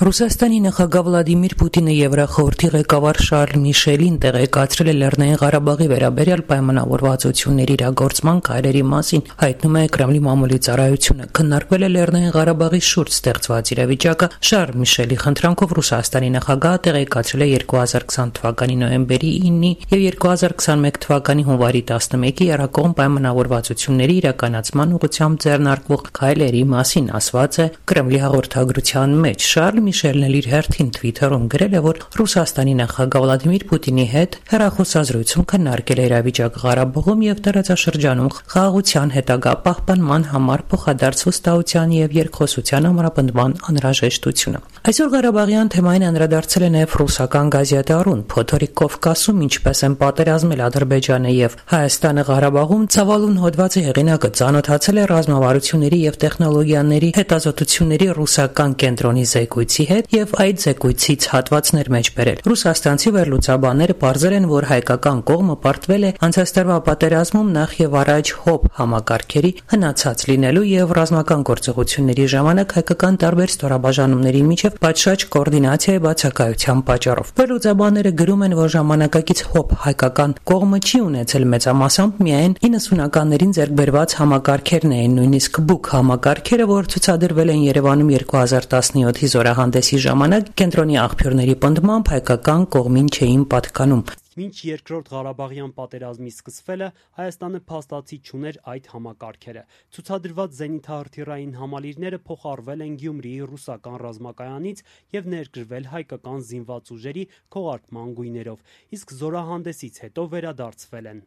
Ռուսաստանի նախագահ Վլադիմիր Պուտինը Եվրախորհրդի ղեկավար Շարլ Միշելին տեղեկացրել է Լեռնային Ղարաբաղի վերաբերյալ պայմանավորվածությունների իրագործման քայլերի մասին, հայտնում է Կրեմլի մամուլի ծառայությունը։ Քննարկվել է Լեռնային Ղարաբաղի շուրջ ստեղծված իրավիճակը։ Շարլ Միշելի խնդրանքով Ռուսաստանի նախագահը տեղեկացրել է 2020 թվականի նոյեմբերի 9-ի եւ 2021 թվականի հունվարի 11-ի երակողմ պայմանավորվածությունների իրականացման ուղղությամբ ձեռնարկվող քայլերի մասին, ասված է Կրեմլի հաղորդագրության մեջ։ Շարլ Միշելն էլ իր հերթին Twitter-ում գրել է, որ Ռուսաստանի նախագահ Վլադիմիր Պուտինի հետ հեռախոսազրույցում քննարկել է իրավիճակը Ղարաբաղում եւ տարածաշրջանում խաղաղության հետագա պահպանման համար փոխադարձ վստահության եւ երկխոսության ամրապնդման անհրաժեշտությունը։ Այսօր Ղարաբաղյան թեմային անդրադարձել է նաեւ ռուսական գազետը Արուն։ Փոթորիկ Կովկասում ինչպես են պատերազմել Ադրբեջանը եւ Հայաստանը Ղարաբաղում ցավալուն հոդվածի հեղինակը ծանոթացել է ռազմավարությունների եւ տեխնոլոգիաների հետազոտությունների ռուսական կենտրոնի զեկույցի հետ եւ այդ զեկույցից հատվածներ մեջ բերել։ Ռուսաստանցի վերլուծաբանները պարզել են, որ հայկական կողմը պարտվել է անցած տարվա պատերազմում նախ եւ առաջ հոբ համակարգերի հնացած լինելու եւ ռազմական գործողությունների ժամանակ հայկական տարբեր ստորաբաժանումների միջև պատշաճ կոորդինացիայի բացակայության պատճառով։ Վերլուծաբանները գրում են, որ ժամանակակից հոբ հայկական կողմը չի ունեցել մեծամասամբ միայն 90-ականներին ձեռք բերված համակարգերն էին, նույնիսկ բուկ համակարգերը, որ ցուցադրվել են Երևանում 2017-ի զորահանդեսի ժամանակ, կենտրոնի աղբյուրների պնդմամբ հայկական կողմին չէին պատկանում։ Մինչ երկրորդ Ղարաբաղյան պատերազմի սկսվելը Հայաստանը փաստացի չուներ այդ համակարգերը։ Ցուցադրված զենիթահրթիռային համալիրները փոխառվել են Գյումրիի ռուսական ռազմակայանից եւ ներգրվել հայկական զինված ուժերի քողարկման գույներով, իսկ զորահանդեսից հետո վերադարձվել են։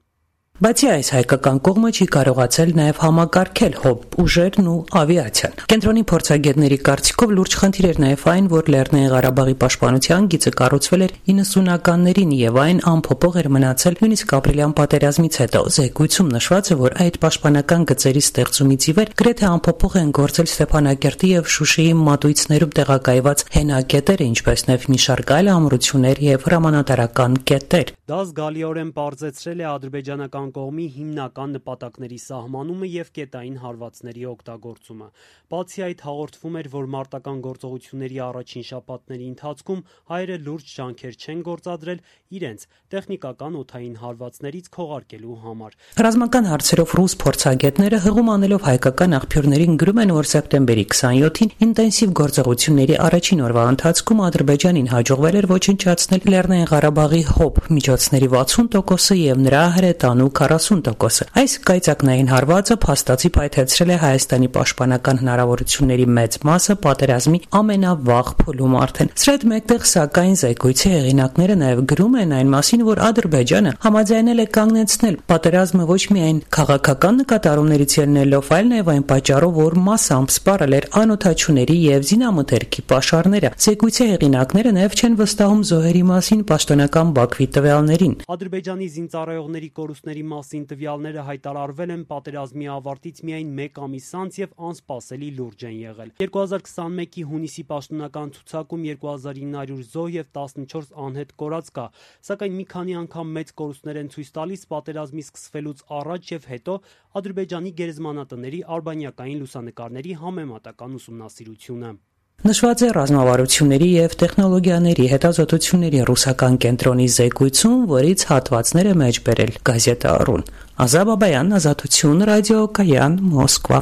Բացի այս, հայկական կողմը չի կարողացել նաև համակարգել հոբ ուժերն ու ավիացիան։ Կենտրոնի փորձագետների կարծիքով լուրջ խնդիր էր նաև այն, որ Լեռնային Ղարաբաղի պաշտպանության գիծը կառուցվել էր 90-ականներին եւ այն անփոփոխ էր մնացել նույնիսկ ապրիլյան պատերազմից հետո։ Զեկույցում նշված է, որ այդ պաշտպանական գծերի ստեղծումից ի վեր գրեթե անփոփոխ են գործել Ստեփանակերտի եւ Շուշիի մատույցներում տեղակայված հենակետերը, ինչպես նաեւ մի շարք այլ ամրություններ եւ հրամանատարական կետեր։ Դա զգալիորեն պարզեցրել է ադրբեջանական կողմի հիմնական նպատակների սահմանումը եւ կետային հարվածների օգտագործումը։ Բացի այդ, հաղորդվում էր, որ մարտական գործողությունների առաջին շաբաթների ընթացքում հայերը լուրջ ջանքեր չեն գործադրել իրենց տեխնիկական օդային հարվածներից քողարկելու համար։ Ռազմական հարցերով ռուս փորձագետները հղում անելով հայկական աղբյուրներին գրում են, որ սեպտեմբերի 27-ին ինտենսիվ գործողությունների առաջին օրվա ընթացքում Ադրբեջանին հաջողվել էր ոչնչացնել Լեռնային Ղարաբաղի հոբ միջոցների 60%-ը եւ նրա հրետանու 40%-ը։ Այս կայծակնային հարվածը փաստացի պայթեցրել է Հայաստանի պաշտպանական հնարավորությունների մեծ մասը պատերազմի ամենավաղ փուլում արդեն։ Սրա հետ մեկտեղ, սակայն, զեկույցի հեղինակները նաև գրում են այն մասին, որ Ադրբեջանը համաձայնել է կանգնեցնել պատերազմը ոչ միայն քաղաքական նկատառումներից ելնելով, այլ նաև այն պատճառով, որ մասամբ սպառել էր անօդաչուների եւ զինամթերքի պաշարները։ Զեկույցի հեղինակները նաև չեն վստահում զոհերի մասին պաշտոնական Բաքվի տվյալներին։ Ադրբեջանի զինծառայողների կորուստների մասին տվյալները հայտարարվել են պատերազմի ավարտից միայն 1 ամիս անց եւ անսպասելի լուրջ են եղել։ 2021-ի հունիսի պաշտոնական ցուցակում 2900 զոհ եւ 14 անհետ կորած կա, սակայն մի քանի անգամ մեծ կորուստներ են ցույց տալիս պատերազմի սկսվելուց առաջ եւ հետո Ադրբեջանի գերեզմանատների արբանյակային լուսանկարների համեմատական ուսումնասիրությունը։ Նշված է ռազմավարությունների եւ տեխնոլոգիաների հետազոտությունների ռուսական կենտրոնի զեկույցում, որից հատվածներ է մեջ բերել գազետը Արուն։ Ազատ Բաբայան, Ազատություն, ռադիո Կայան, Մոսկվա։